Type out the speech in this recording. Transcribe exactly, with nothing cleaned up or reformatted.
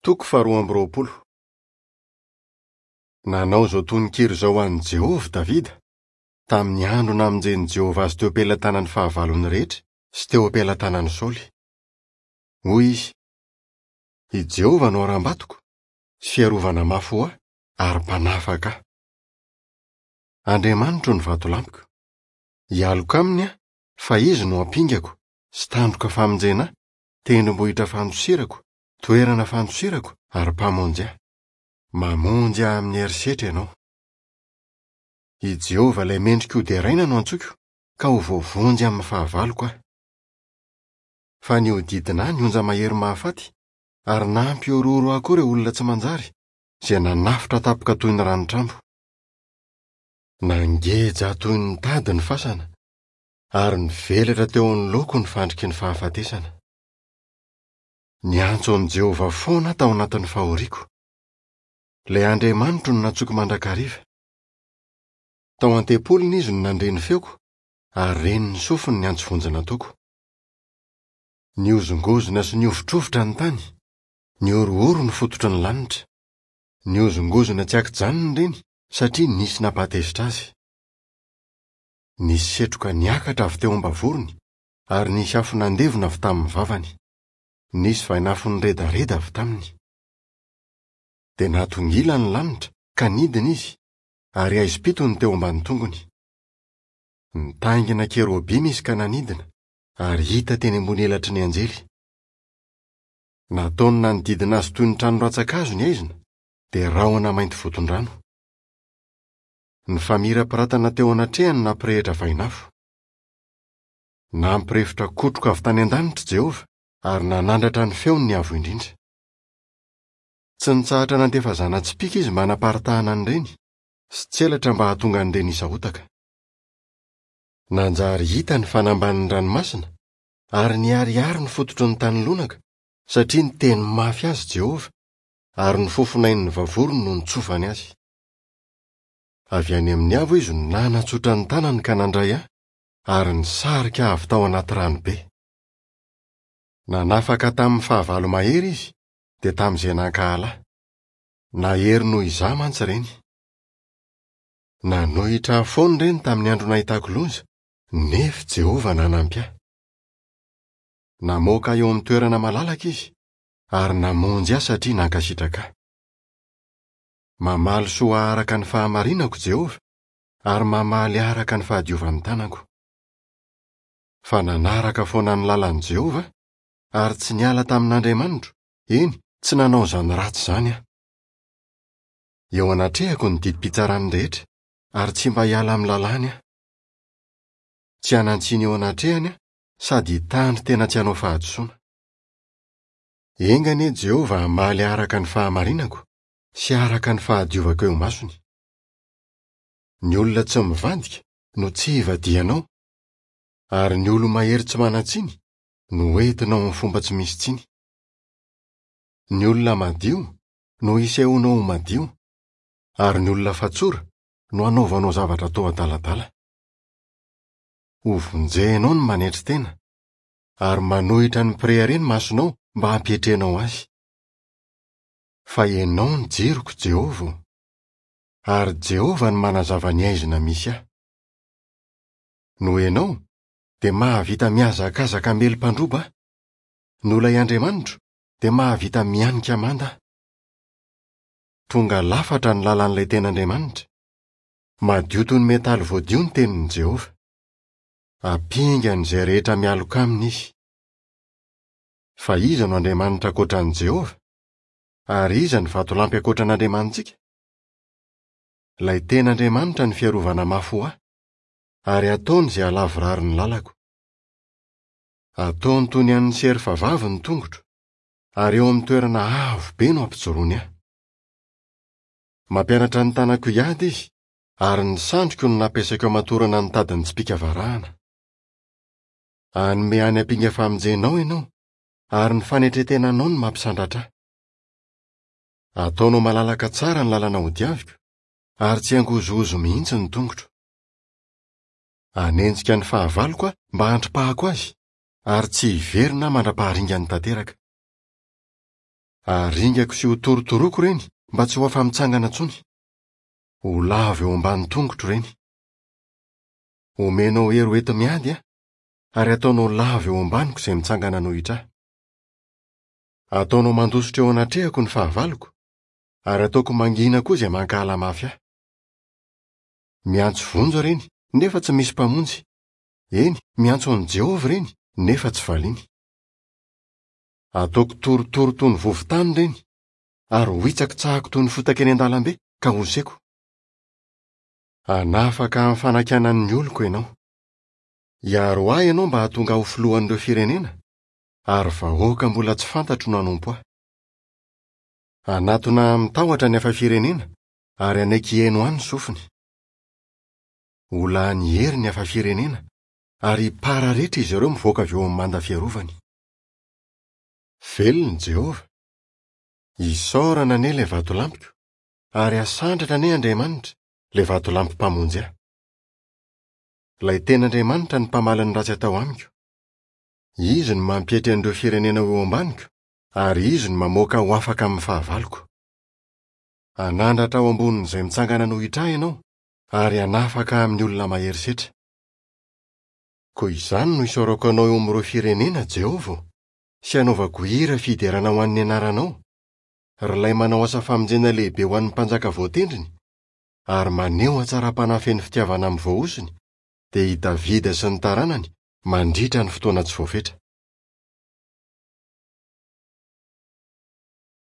Toko faharoa amby roapolo. Nanao izao tononkira izao ho an'i Jehovah Davida, tamin'ny andro namonjen'i Jehovah azy teo am-pelatanan'ny fahavalony rehetra sy teo am-pelatanan'i Saoly. Hoy izy: I Jehovah no harambatoko sy fiarovana mafy ho ahy ary mpanafaka ahy. Andriamanitro no vatolampiko. Hialoka aminy aho, fa izy no ampingako sy tandroka famonjena ahy, tendrombohitra fandosirako, toerana fandosirako ary mpamonjy ahy. Mamonjy ahy amin'ny herisetra ianao. I Jehovah ilay mendrika hoderaina no antsoiko, ka ho voavonjy amin'ny fahavaloko aho. Fa nihodidina ahy ny onja mahery mahafaty, ary nampihorohoro ahy koa ireo olona tsy manjary, izay nanafotra tampoka toy ny ranotrambo. Nangeja ahy toy ny tady ny fasana, ary nivelatra teo anoloako ny fandriky ny fahafatesana. Niantso an'i Jehovah foana aho tao anatin'ny fahoriako. Ilay Andriamanitro no nantsoiko mandrakariva. Tao an-tempoliny izy no nandre ny feoko, ary ren'ny sofiny ny antso vonjy nataoko. Nihozongozona sy nihovitrovitra ny tany, nihorohoro ny fototry ny lanitra. Nihozongozona tsy ankijanona ireny satria nisy nampatezitra azy. Nisy setroka niakatra avy teo am-bavorony, ary nisy afo nandevona avy tamin'ny vavany. Nisy vainafo niredareda avy taminy. Dia natongila ny lanitra ka nidina izy, ary haizim-pito ny teo ambany tongony. Nitaingina kerobima izy ka nanidina, ary hita teny ambony elatry ny anjely. Nataony nanodidina azy toy ny trano rantsan-kazo ny haizina, dia rahona mainty voton-drano. Ny famirapiratana teo anatrehany nampirehitra vainafo. Nampirefotra kotroka avy tany an-danitra Jehovah, ary nanandratra ny feony ny avo indrindra. Tsy nitsahatra nandefa zana-tsipìka izy mba hanaparitahana an'ireny, sy tselatra mba hahatonga an'ireny hisahotaka. Nanjary hita ny fanambanin'ny ranomasina, ary niharihary ny fototry ny tany lonaka, satria niteny mafy azy Jehovah, ary ny fofonain'ny vavorony no nitsofany azy. Avy any amin'ny avo izy no nanatsotra ny tanany ka nandray ahy, ary nisarika ahy avy tao anaty ranobe. Nanafaka tamin'ny fahavalo mahery izy, dia tamin'izay nankahala ahy. Nahery noho izaho mantsy ireny. Nanohitra ahy foana ireny tamin'ny andro nahitako loza, nefa Jehovah nanampy ahy. Namoaka ahy eo amin'ny toerana malalaka izy, ary namonjy ahy satria nankasitraka ahy. Mamaly soa araka ny fahamarinako Jehovah, ary mamaly araka ny fahadiovan'ny tanako. Fa nanaraka foana ny lalan'i Jehovah, ary tsy niala tamin'Andriamanitro, eny, tsy nanao izany ratsy izany aho. Eo anatrehako ny didim-pitsarany rehetra, ary tsy mba hiala amin'ny lalàny aho. Tsy hanan-tsiny eo anatrehany aho, sady hitandro tena tsy hanao fahadisoana. Enga anie Jehovah hamaly araka ny fahamarinako sy araka ny fahadiovako eo imasony. Ny olona tsy mivadika no tsy hivadihanao, ary ny olo-mahery tsy manan-tsiny no entinao amin'ny fomba tsy misy tsiny. Ny olona madio no isehoanao ho madio, ary ny olona fatsora no anaovanao zavatra toa adaladala. Hovonjenao ny manetry tena, ary manohitra ny mpirehareha ny masonao mba hampietrenao azy. Fa ianao ny jiroko, Jehovah, ary Jehovah no manazava ny haizina misy ahy. Noho ianao, dia mahavita mihazakazaka hamely mpandroba aho. Noho ilay Andriamanitro, dia mahavita mihanika manda aho. Tonga lafatra ny lalan'ilay tena Andriamanitra. Madio toy ny metaly voadio ny tenin'i Jehovah. Ampingany izay rehetra mialoka aminy izy. Fa iza no Andriamanitra ankoatra an'i Jehovah? Ary iza no vatolampy ankoatra an'Andriamanitsika? Ilay tena Andriamanitra ny fiarovana mafy ho ahy, ary ataony izay halavorary ny lalako. Ataony toy ny an'ny serfa vavy ny tongotro, ary eo amin'ny toerana avo be no ampijoroany ahy. Mampianatra ny tanako hiady izy, ary ny sandriko no nampiasaiko hamatorana ny tadin'ny tsipìka varahana. Hanome any ampinga famonjenao ianao, ary ny fanetren-tenanao no mampisandratra ahy. Ataonao malalaka tsara ny lalana hodiaviko, ary tsy hangozohozo mihitsy ny tongotro. Hanenjika ny fahavaloko aho mba handripahako azy, ary tsy hiverina aho mandra-paharingany tanteraka. Haringako sy hotorotoroako ireny mba tsy ho afa-mitsangana intsony. Ho lavo eo ambany tongotro ireny. Omenao hery ho enti-miady aho, ary ataonao lavo eo ambaniko izay mitsangana hanohitra ahy. Ataonao mandositra eo anatrehako ny fahavaloko, ary ataoko mangina koa izay mankahala mafy ahy. Miantso vonjy ireny, nefa tsy misy mpamonjy. Eny, miantso an'i Jehovah ireny, nefa tsy valiany. Ataoko torotoro toy ny vovon-tany ireny, ary hohitsakitsahako toy ny fotaka eny an-dalambe ka hoseko. Hanafaka amin'ny fanakianan'ny oloko ianao. Hiaro ahy ianao mba hahatonga ahy ho filohan'ireo firenena, ary vahoaka mbola tsy fantatro no hanompo ahy. Hanatona ahy amin-tahotra ny hafa firenena, ary hanaiky hihaino ahy ny sofiny. Ho lany hery ny hafa firenena, ary hipararetra izy ireo mivoaka avy eo amin'ny manda fiarovany. Velona i Jehovah. Isaorana anie ilay vatolampiko, ary hasandratra anie Andriamanitra, ilay vatolampy mpamonjy ahy. Ilay tena Andriamanitra no mpamaly ny ratsy atao amiko. Izy no mampietry an'ireo firenena ho eo ambaniko, ary izy no mamoaka ho afaka amin'ny fahavaloko. Hanandratra ao ambonin'izay mitsangana hanohitra ahy ianao, ary hanafaka ahy amin'ny olona mahery setra. Koa izany no isaorako anao eo amin'ireo firenena, Jehovah ô, sy hanaovako hira fiderana ho an'ny anaranao, ry ilay manao asa famonjena lehibe ho an'ny mpanjaka voatendriny, ary maneho hatsaram-panahy feno fitiavana amin'ny voahosony, dia i Davida sy ny taranany, mandritra ny fotoana tsy voafetra.